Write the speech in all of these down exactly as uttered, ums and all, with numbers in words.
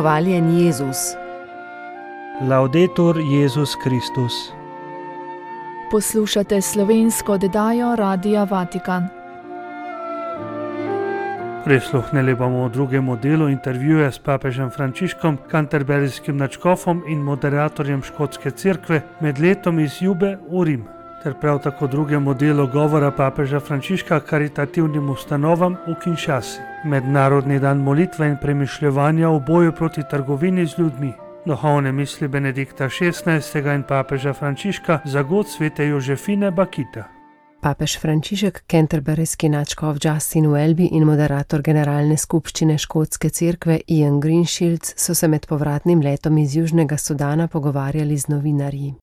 Hvaljen Jezus. Laudetur Jezus Kristus. Poslušate slovensko oddajo Radia Vatikan. Prisluhnili bomo v drugem delu intervjuja s papežem Frančiškom, kanterberijskim nadškofom in moderatorjem škotske cerkve med letom iz Jube v Rim, ter prav tako drugemu delu govora papeža Frančiška karitativnim ustanovam v Kinshasi. Mednarodni dan molitve in premišljevanja v boju proti trgovini z ljudmi. Duhovne misli Benedikta šestnajstega in papeža Frančiška za god svete Jožefine Bakita. Papež Frančišek, canterburyski nadškof Justin Welby in moderator generalne skupščine škotske cerkve Ian Greenshields so se med povratnim letom iz Južnega Sudana pogovarjali z novinarji.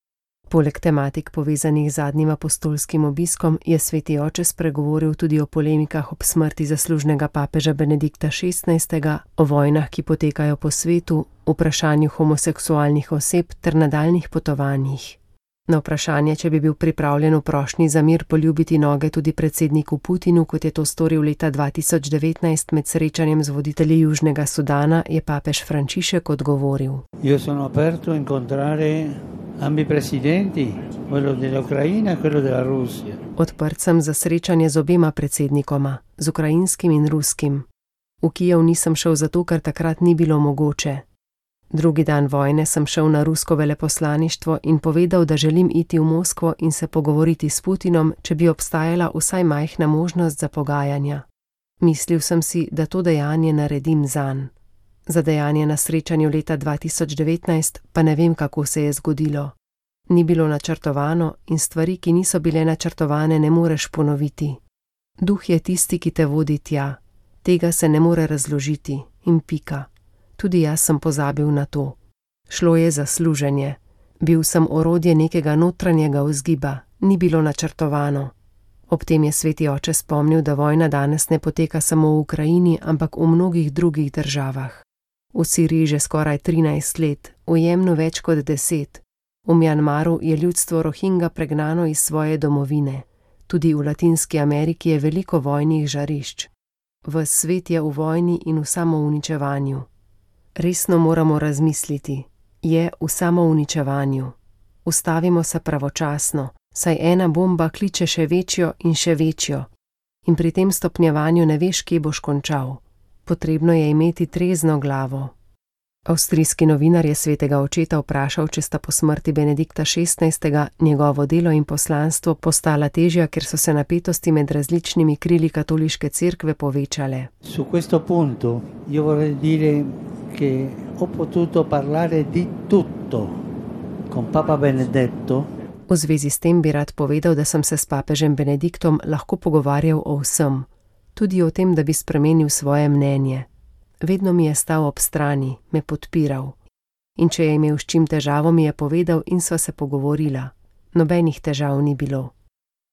Poleg tematik povezanih z zadnjim apostolskim obiskom je sveti oče spregovoril tudi o polemikah ob smrti zaslužnega papeža Benedikta šestnajstega, o vojnah, ki potekajo po svetu, vprašanju homoseksualnih oseb ter nadaljnih potovanjih. Na vprašanje, če bi bil pripravljen v prošnji za mir poljubiti noge tudi predsedniku Putinu, kot je to storil leta dva tisoč devetnajst med srečanjem z voditelji Južnega Sudana, je papež Frančišek odgovoril. Io sono aperto a incontrare ambi presidenti, quello dell'Ucraina e quello della Russia. Odprt sem za srečanje z obema predsednikoma, z ukrajinskim in ruskim. V Kijev nisem šel zato, ker takrat ni bilo mogoče. Drugi dan vojne sem šel na rusko veleposlaništvo in povedal, da želim iti v Moskvo in se pogovoriti s Putinom, če bi obstajala vsaj majhna možnost za pogajanja. Mislil sem si, da to dejanje naredim zanj. Za dejanje na srečanju leta dva tisoč devetnajst pa ne vem, kako se je zgodilo. Ni bilo načrtovano in stvari, ki niso bile načrtovane, ne moreš ponoviti. Duh je tisti, ki te vodi tja. Tega se ne more razložiti in pika. Tudi jaz sem pozabil na to. Šlo je za služenje. Bil sem orodje nekega notranjega vzgiba, ni bilo načrtovano. Ob tem je sveti oče spomnil, da vojna danes ne poteka samo v Ukrajini, ampak v mnogih drugih državah. V Siriji že skoraj trinajst let, v Jemnu več kot deset. V Mjanmaru je ljudstvo Rohingja pregnano iz svoje domovine. Tudi v Latinski Ameriki je veliko vojnih žarišč. Ves svet je v vojni in v samouničevanju. Resno moramo razmisliti. Je v samouničevanju. Ustavimo se pravočasno, saj ena bomba kliče še večjo in še večjo. In pri tem stopnjevanju ne veš, kje boš končal. Potrebno je imeti trezno glavo. Avstrijski novinar je svetega očeta vprašal, če sta po smrti Benedikta šestnajstega njegovo delo in poslanstvo postala težja, ker so se napetosti med različnimi krili katoliške cerkve povečale. Su questo punto io vorrei dire che ho potuto parlare di tutto con Papa Benedetto. V zvezi s tem bi rad povedal, da sem se s papežem Benediktom lahko pogovarjal o vsem. Tudi o tem, da bi spremenil svoje mnenje. Vedno mi je stal ob strani, me podpiral. In če je imel s čim težavo, mi je povedal in sva se pogovorila. Nobenih težav ni bilo.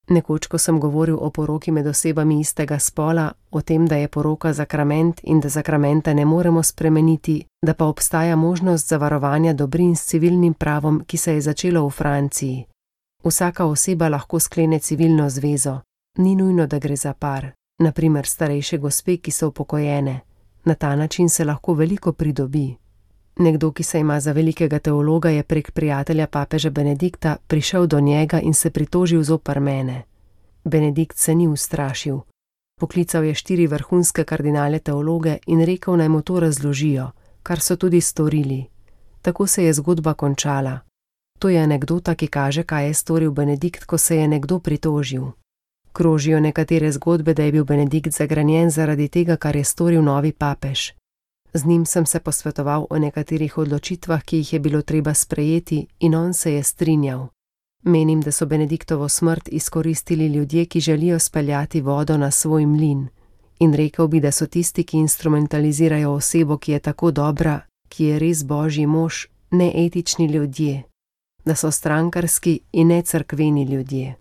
Nekoč, ko sem govoril o poroki med osebami istega spola, o tem, da je poroka zakrament in da zakramenta ne moremo spremeniti, da pa obstaja možnost zavarovanja dobrin s civilnim pravom, ki se je začelo v Franciji. Vsaka oseba lahko sklene civilno zvezo. Ni nujno, da gre za par. Naprimer starejše gospe, ki so upokojene. Na ta način se lahko veliko pridobi. Nekdo, ki se ima za velikega teologa, je prek prijatelja papeža Benedikta prišel do njega in se pritožil zoper mene. Benedikt se ni ustrašil. Poklical je štiri vrhunske kardinale teologe in rekel, naj mu to razložijo, kar so tudi storili. Tako se je zgodba končala. To je anekdota, ki kaže, kaj je storil Benedikt, ko se je nekdo pritožil. Krožijo nekatere zgodbe, da je bil Benedikt zagrenjen zaradi tega, kar je storil novi papež. Z njim sem se posvetoval o nekaterih odločitvah, ki jih je bilo treba sprejeti, in on se je strinjal. Menim, da so Benediktovo smrt izkoristili ljudje, ki želijo speljati vodo na svoj mlin. In rekel bi, da so tisti, ki instrumentalizirajo osebo, ki je tako dobra, ki je res božji mož, neetični ljudje. Da so strankarski in necerkveni ljudje.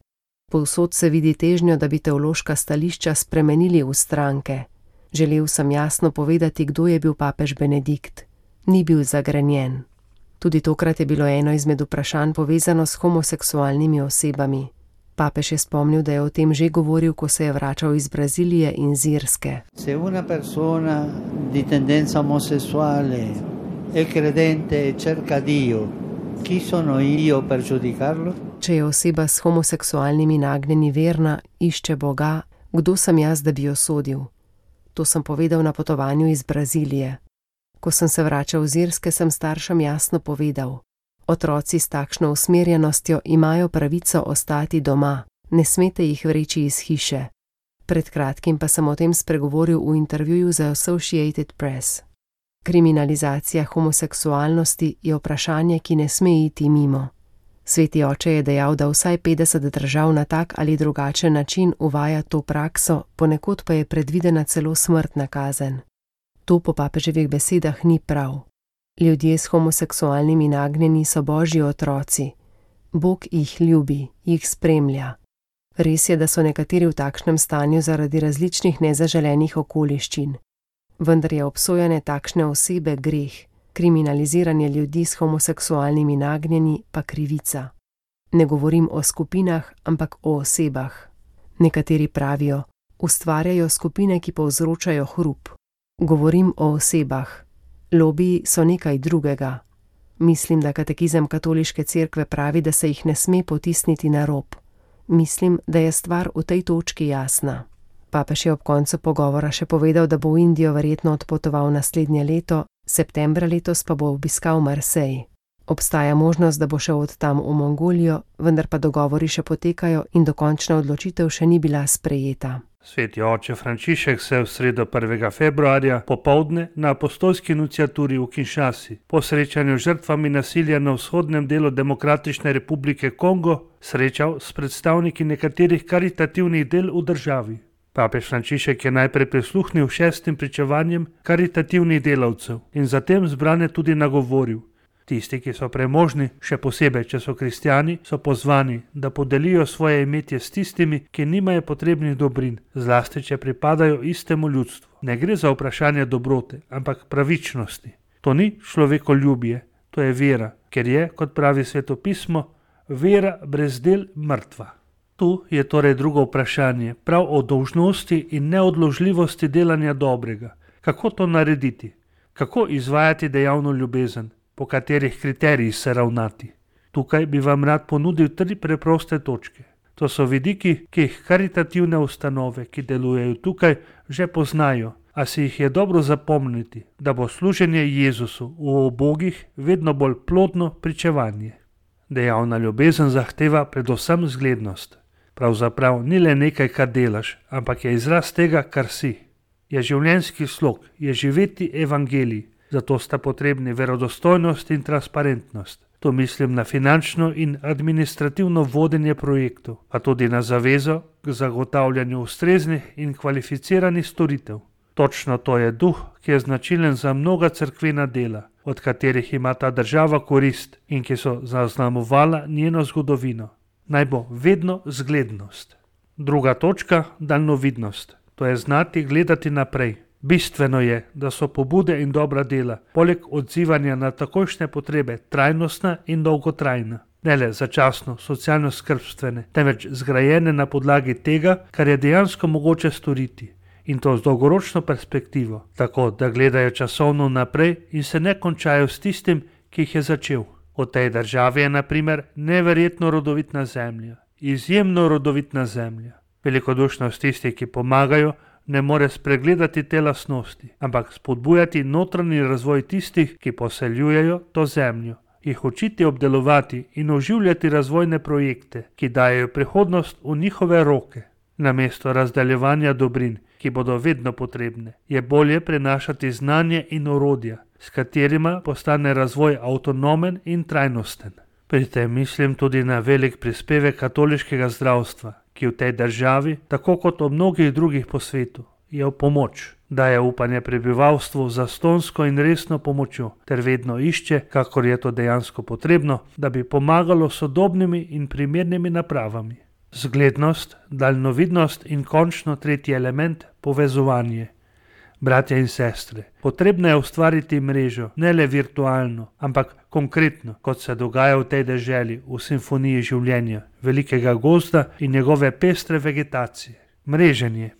Povsod se vidi težnjo, da bi teološka stališča spremenili v stranke. Želel sem jasno povedati, kdo je bil papež Benedikt. Ni bil zagrenjen. Tudi tokrat je bilo eno izmed vprašanj povezano s homoseksualnimi osebami. Papež je spomnil, da je o tem že govoril, ko se je vračal iz Brazilije in z Irske. Se una persona di tendenza omosessuale è credente e cerca Dio, chi sono io per giudicarlo? Če je oseba s homoseksualnimi nagnjenji verna, išče Boga, kdo sem jaz, da bi jo sodil? To sem povedal na potovanju iz Brazilije. Ko sem se vračal z Irske, sem staršem jasno povedal: otroci s takšno usmerjenostjo imajo pravico ostati doma, ne smete jih vreči iz hiše. Pred kratkim pa sem o tem spregovoril v intervjuju za Associated Press. Kriminalizacija homoseksualnosti je vprašanje, ki ne sme iti mimo. Sveti oče je dejal, da vsaj petdeset držav na tak ali drugačen način uvaja to prakso, ponekod pa je predvidena celo smrtna kazen. To po papeževih besedah ni prav. Ljudje s homoseksualnimi nagnjenji so Božji otroci. Bog jih ljubi, jih spremlja. Res je, da so nekateri v takšnem stanju zaradi različnih nezaželenih okoliščin. Vendar je obsojanje takšne osebe greh, kriminaliziranje ljudi s homoseksualnimi nagnjenji pa krivica. Ne govorim o skupinah, ampak o osebah. Nekateri pravijo, ustvarjajo skupine, ki povzročajo hrup. Govorim o osebah. Lobiji so nekaj drugega. Mislim, da katekizem katoliške cerkve pravi, da se jih ne sme potisniti na rob. Mislim, da je stvar v tej točki jasna. Papež je ob koncu pogovora še povedal, da bo v Indijo verjetno odpotoval naslednje leto, septembra letos pa bo obiskal Marsej. Obstaja možnost, da bo šel od tam v Mongolijo, vendar pa dogovori še potekajo in dokončna odločitev še ni bila sprejeta. Sveti oče Frančišek se v sredo prvega februarja popoldne na apostolski nunciaturi v Kinshasi po srečanju z žrtvami nasilja na vzhodnem delu Demokratične republike Kongo srečal s predstavniki nekaterih karitativnih del v državi. Papež Frančišek je najprej prisluhnil šestim pričevanjem karitativnih delavcev in zatem zbrane tudi nagovoril. Tisti, ki so premožni, še posebej, če so kristjani, so pozvani, da podelijo svoje imetje s tistimi, ki nimajo potrebnih dobrin, zlasti, če pripadajo istemu ljudstvu. Ne gre za vprašanje dobrote, ampak pravičnosti. To ni človekoljubje, to je vera, ker je, kot pravi Sveto pismo, vera brez del mrtva. Tu je torej drugo vprašanje, prav o dolžnosti in neodložljivosti delanja dobrega. Kako to narediti? Kako izvajati dejavno ljubezen? Po katerih kriterijih se ravnati. Tukaj bi vam rad ponudil tri preproste točke. To so vidiki, ki jih karitativne ustanove, ki delujejo tukaj, že poznajo, a si jih je dobro zapomniti, da bo služenje Jezusu v ubogih vedno bolj plodno pričevanje. Dejavna ljubezen zahteva predvsem zglednost. Pravzaprav ni le nekaj, kar delaš, ampak je izraz tega, kar si. Je življenjski slog, je živeti evangelij. Zato sta potrebni verodostojnost in transparentnost. To mislim na finančno in administrativno vodenje projektov, pa tudi na zavezo k zagotavljanju ustreznih in kvalificiranih storitev. Točno to je duh, ki je značilen za mnoga cerkvena dela, od katerih ima ta država korist in ki so zaznamovala njeno zgodovino. Naj bo vedno zglednost. Druga točka, daljnovidnost. To je znati gledati naprej. Bistveno je, da so pobude in dobra dela, poleg odzivanja na takojšnje potrebe, trajnostna in dolgotrajna. Ne le začasno, socialno-skrbstvene, temveč zgrajene na podlagi tega, kar je dejansko mogoče storiti. In to z dolgoročno perspektivo, tako da gledajo časovno naprej in se ne končajo s tistim, ki jih je začel. V tej državi je na primer neverjetno rodovitna zemlja, izjemno rodovitna zemlja. Velikodušnost tistih, ki pomagajo, ne more spregledati te lastnosti, ampak spodbujati notranji razvoj tistih, ki poseljujejo to zemljo, jih učiti obdelovati in oživljati razvojne projekte, ki dajejo prihodnost v njihove roke. Namesto razdaljevanja dobrin, ki bodo vedno potrebne, je bolje prenašati znanje in orodja, s katerima postane razvoj avtonomen in trajnosten. Pri tem mislim tudi na velik prispevek katoliškega zdravstva, ki v tej državi, tako kot v mnogih drugih po svetu, je v pomoč, daje upanje prebivalstvu za stonsko in resno pomočjo, ter vedno išče, kakor je to dejansko potrebno, da bi pomagalo sodobnimi in primernimi napravami. Zglednost, daljnovidnost in končno tretji element, povezovanje. Bratje in sestre, potrebno je ustvariti mrežo, ne le virtualno, ampak konkretno, kot se dogaja v tej deželi, v simfoniji življenja, velikega gozda in njegove pestre vegetacije. Mreženje.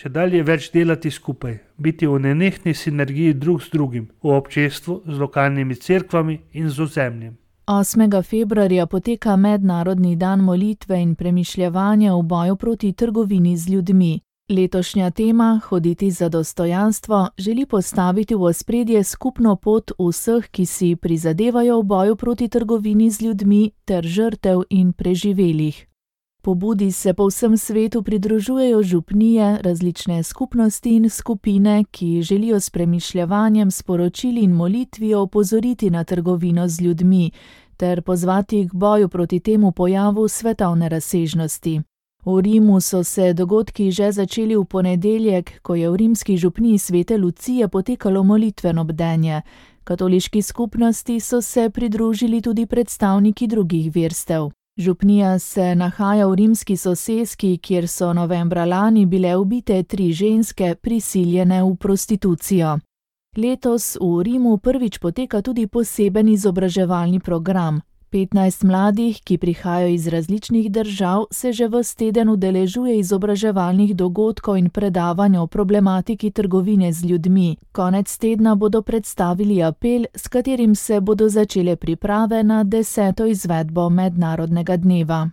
če dalje več delati skupaj, biti v nenehni sinergiji drug z drugim, v občestvu, z lokalnimi cerkvami in z ozemljem. osmega februarja poteka Mednarodni dan molitve in premišljevanja v boju proti trgovini z ljudmi. Letošnja tema, hoditi za dostojanstvo, želi postaviti v ospredje skupno pot vseh, ki si prizadevajo v boju proti trgovini z ljudmi ter žrtev in preživelih. Pobudi se po vsem svetu pridružujejo župnije, različne skupnosti in skupine, ki želijo s premišljevanjem, sporočili in molitvijo opozoriti na trgovino z ljudmi ter pozvati k boju proti temu pojavu svetovne razsežnosti. V Rimu so se dogodki že začeli v ponedeljek, ko je v rimski župniji Svete Lucije potekalo molitveno bdenje. Katoliški skupnosti so se pridružili tudi predstavniki drugih verstev. Župnija se nahaja v rimski soseski, kjer so novembra lani bile ubite tri ženske, prisiljene v prostitucijo. Letos v Rimu prvič poteka tudi poseben izobraževalni program. petnajst mladih, ki prihajajo iz različnih držav, se že ves teden udeležuje izobraževalnih dogodkov in predavanj o problematiki trgovine z ljudmi. Konec tedna bodo predstavili apel, s katerim se bodo začele priprave na deseto izvedbo mednarodnega dneva.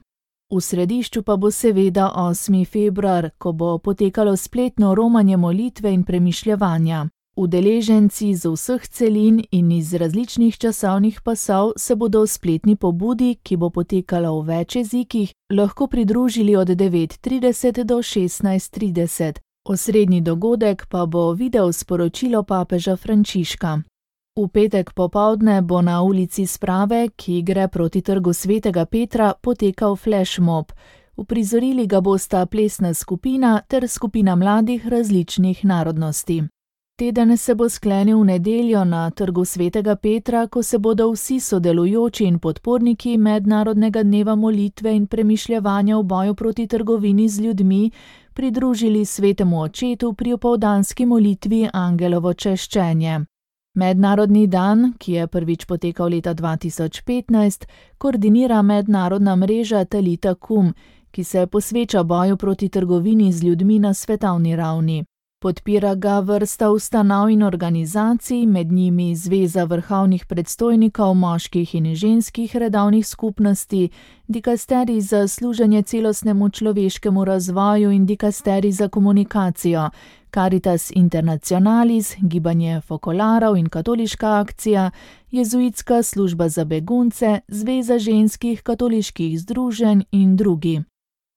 V središču pa bo seveda osmi februar, ko bo potekalo spletno romanje molitve in premišljevanja. Udeleženci z vseh celin in iz različnih časovnih pasov se bodo v spletni pobudi, ki bo potekala v več jezikih, lahko pridružili od devet trideset do šestnajst trideset. Osrednji dogodek pa bo video sporočilo papeža Frančiška. V petek popoldne bo na ulici Sprave, ki gre proti trgu Svetega Petra, potekal flashmob. Uprizorili ga bosta plesna skupina ter skupina mladih različnih narodnosti. Teden se bo sklenil v nedeljo na trgu Svetega Petra, ko se bodo vsi sodelujoči in podporniki Mednarodnega dneva molitve in premišljevanja v boju proti trgovini z ljudmi pridružili Svetemu očetu pri opoldanski molitvi Angelovo češčenje. Mednarodni dan, ki je prvič potekal leta dva tisoč petnajst, koordinira mednarodna mreža Talita Kum, ki se posveča boju proti trgovini z ljudmi na svetovni ravni. Podpira ga vrsta ustanov in organizacij, med njimi Zveza vrhovnih predstojnikov moških in ženskih redovnih skupnosti, dikasterij za služenje celostnemu človeškemu razvoju in dikasterij za komunikacijo, Caritas Internationalis, Gibanje Fokolarov in Katoliška akcija, Jezuitska služba za begunce, Zveza ženskih katoliških združenj in drugi.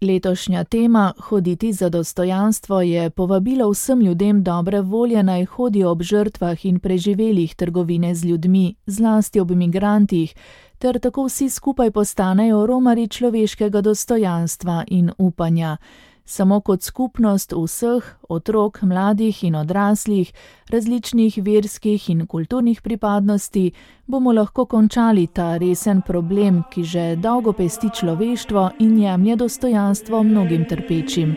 Letošnja tema, hoditi za dostojanstvo, je povabilo vsem ljudem dobre volje naj hodijo ob žrtvah in preživelih trgovine z ljudmi, zlasti ob migrantih, ter tako vsi skupaj postanejo romarji človeškega dostojanstva in upanja. Samo kot skupnost vseh, otrok, mladih in odraslih, različnih verskih in kulturnih pripadnosti, bomo lahko končali ta resen problem, ki že dolgo pesti človeštvo in jemlje dostojanstvo mnogim trpečim.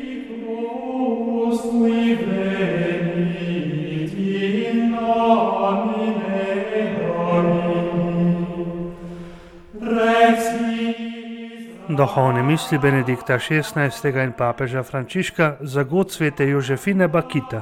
Duhovne misli Benedikta šestnajstega in papeža Frančiška za god svete Jožefine Bakita.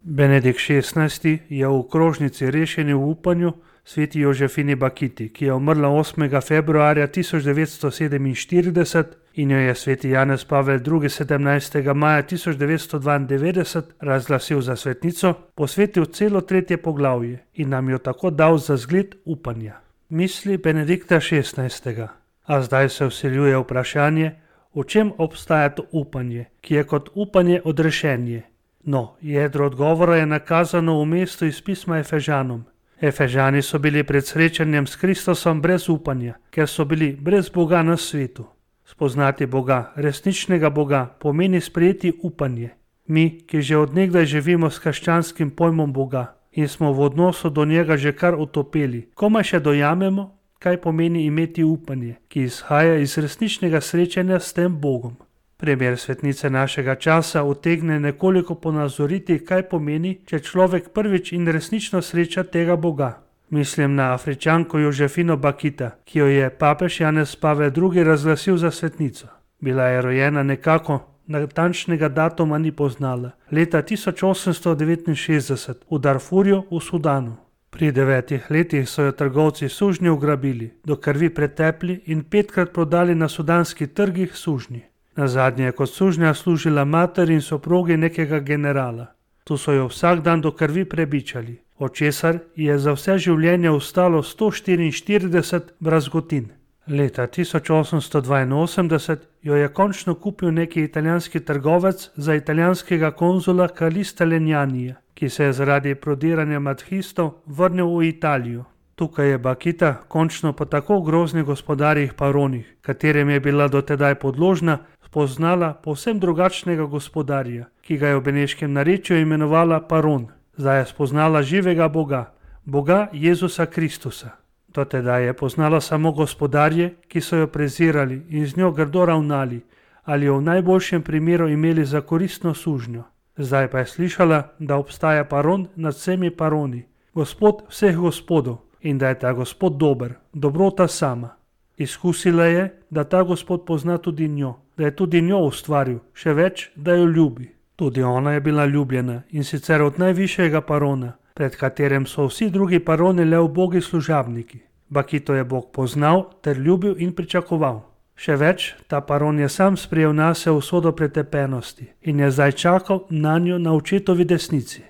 Benedikt šestnajsti je v krožnici Rešeni v upanju sveti Jožefini Bakiti, ki je umrla osmega februarja tisoč devetsto sedeminštirideset in jo je sveti Janez Pavel drugi. sedemnajstega maja tisoč devetsto dvaindevetdeset razglasil za svetnico, posvetil celo tretje poglavje in nam jo tako dal za zgled upanja. Misli Benedikta šestnajstega. A zdaj se vseljuje vprašanje, v čem obstaja to upanje, ki je kot upanje odrešenje. No, jedro odgovora je nakazano v mestu iz pisma Efežanom. Efežani so bili pred srečanjem s Kristusom brez upanja, ker so bili brez Boga na svetu. Spoznati Boga, resničnega Boga, pomeni sprejeti upanje. Mi, ki že od nekdaj živimo s krščanskim pojmom Boga in smo v odnosu do njega že kar utopeli, komaj še dojamemo, kaj pomeni imeti upanje, ki izhaja iz resničnega srečanja s tem Bogom. Primer svetnice našega časa utegne nekoliko ponazoriti, kaj pomeni, če človek prvič in resnično sreča tega Boga. Mislim na Afričanko Jožefino Bakita, ki jo je papež Janez Pavel drugi. razglasil za svetnico. Bila je rojena nekako, natančnega datuma ni poznala, leta tisoč osemsto devetinšestdeset v Darfurju v Sudanu. Pri devetih letih so jo trgovci sužnjev ugrabili, do krvi pretepli in petkrat prodali na sudanskih trgih sužnji. Nazadnje je kot sužnja služila mater in soprogi nekega generala. Tu so jo vsak dan do krvi prebičali, od česar je za vse življenje ostalo sto štiriinštirideset brazgotin. Leta tisoč osemsto dvainosemdeset jo je končno kupil neki italijanski trgovec za italijanskega konzula Kalista Lenjanija, ki se je zaradi prodiranja madhistov vrnil v Italijo. Tukaj je Bakita končno po tako groznih gospodarjih Paronih, katerim je bila dotedaj podložna, spoznala povsem drugačnega gospodarja, ki ga je v beneškem narečju imenovala Paron. Zdaj je spoznala živega Boga, Boga Jezusa Kristusa. Dotedaj je poznala samo gospodarje, ki so jo prezirali in z njo grdo ravnali ali jo v najboljšem primeru imeli za koristno sužnjo. Zdaj pa je slišala, da obstaja Paron nad vsemi Paroni, Gospod vseh gospodov, in da je ta Gospod dober, dobrota sama. Izkusila je, da ta Gospod pozna tudi njo, da je tudi njo ustvaril, še več, da jo ljubi. Tudi ona je bila ljubljena, in sicer od najvišjega Parona, pred katerim so vsi drugi Paroni le ubogi služabniki. Bakito je Bog poznal ter ljubil in pričakoval. Še več, ta Paron je sam sprejel nase usodo pretepenosti in je zdaj čakal na njo na očetovi desnici.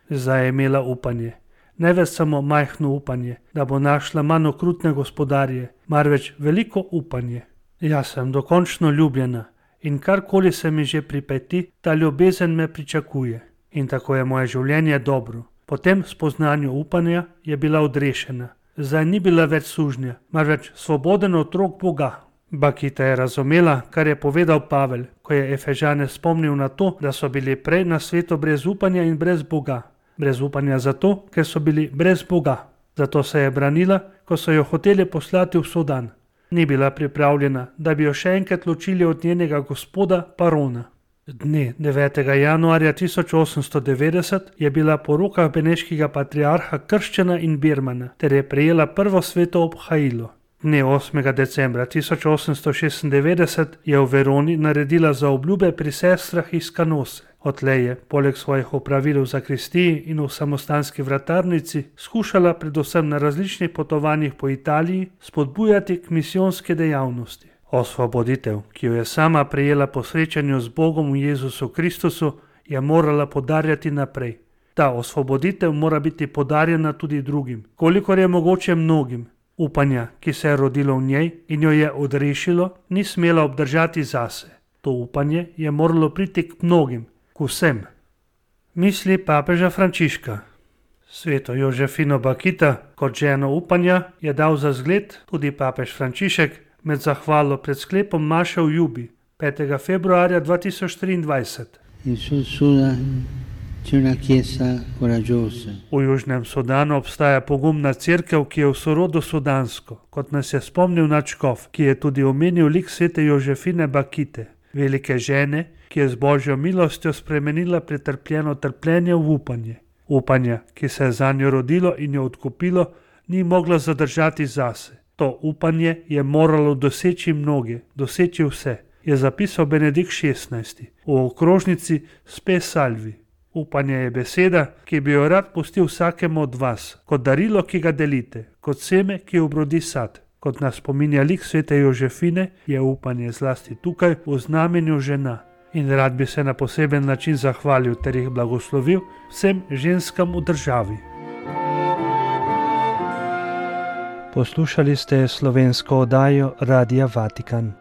Zdaj je imela upanje, ne več samo majhno upanje, da bo našla manj okrutne gospodarje, marveč veliko upanje. Jaz sem dokončno ljubljena in karkoli se mi že pripeti, ta ljubezen me pričakuje. In tako je moje življenje dobro. Po tem spoznanju upanja je bila odrešena. Zdaj ni bila več sužnja, marveč svoboden otrok Boga. Bakita je razumela, kar je povedal Pavel, ko je Efežane spomnil na to, da so bili prej na svetu brez upanja in brez Boga. Brez upanja zato, ker so bili brez Boga. Zato se je branila, ko so jo hoteli poslati v Sudan. Ni bila pripravljena, da bi jo še enkrat ločili od njenega gospoda Parona. Dne devetega januarja tisoč osemsto devetdeset je bila po rokah beneškega patriarha krščena in birmana ter je prejela prvo sveto obhajilo. Dne osmega decembra tisoč osemsto šestindevetdeset je v Veroni naredila zaobljube pri sestrah iz Kanose. Odtlej je, poleg svojih opravil v zakristiji in v samostanski vratarnici, skušala predvsem na različnih potovanjih po Italiji spodbujati k misijonske dejavnosti. Osvoboditev, ki jo je sama prejela po srečanju z Bogom v Jezusu Kristusu, je morala podarjati naprej. Ta osvoboditev mora biti podarjena tudi drugim, kolikor je mogoče mnogim. Upanja, ki se je rodilo v njej in jo je odrešilo, ni smela obdržati zase. To upanje je moralo priti k mnogim, k vsem. Misli papeža Frančiška. Sveto Jožefino Bakita kot ženo upanja je dal za zgled tudi papež Frančišek med zahvalo pred sklepom maše v Jubi, petega februarja dva tisoč triindvajset. V Južnem Sudanu obstaja pogumna cerkev, ki je v sorodu sudansko, kot nas je spomnil nadškof, ki je tudi omenil lik svete Jožefine Bakite, velike žene, ki je z božjo milostjo spremenila pretrpljeno trpljenje v upanje. Upanje, ki se je zanjo rodilo in jo odkupilo, ni moglo zadržati zase. To upanje je moralo doseči mnoge, doseči vse, je zapisal Benedikt šestnajsti v okrožnici Spe Salvi. Upanje je beseda, ki bi jo rad pustil vsakemu od vas, kot darilo, ki ga delite, kot seme, ki obrodi sad. Kot nas spominja lik svete Jožefine, je upanje zlasti tukaj v znamenju žena. In rad bi se na poseben način zahvalil ter jih blagoslovil vsem ženskam v državi. Poslušali ste slovensko oddajo Radia Vatikan.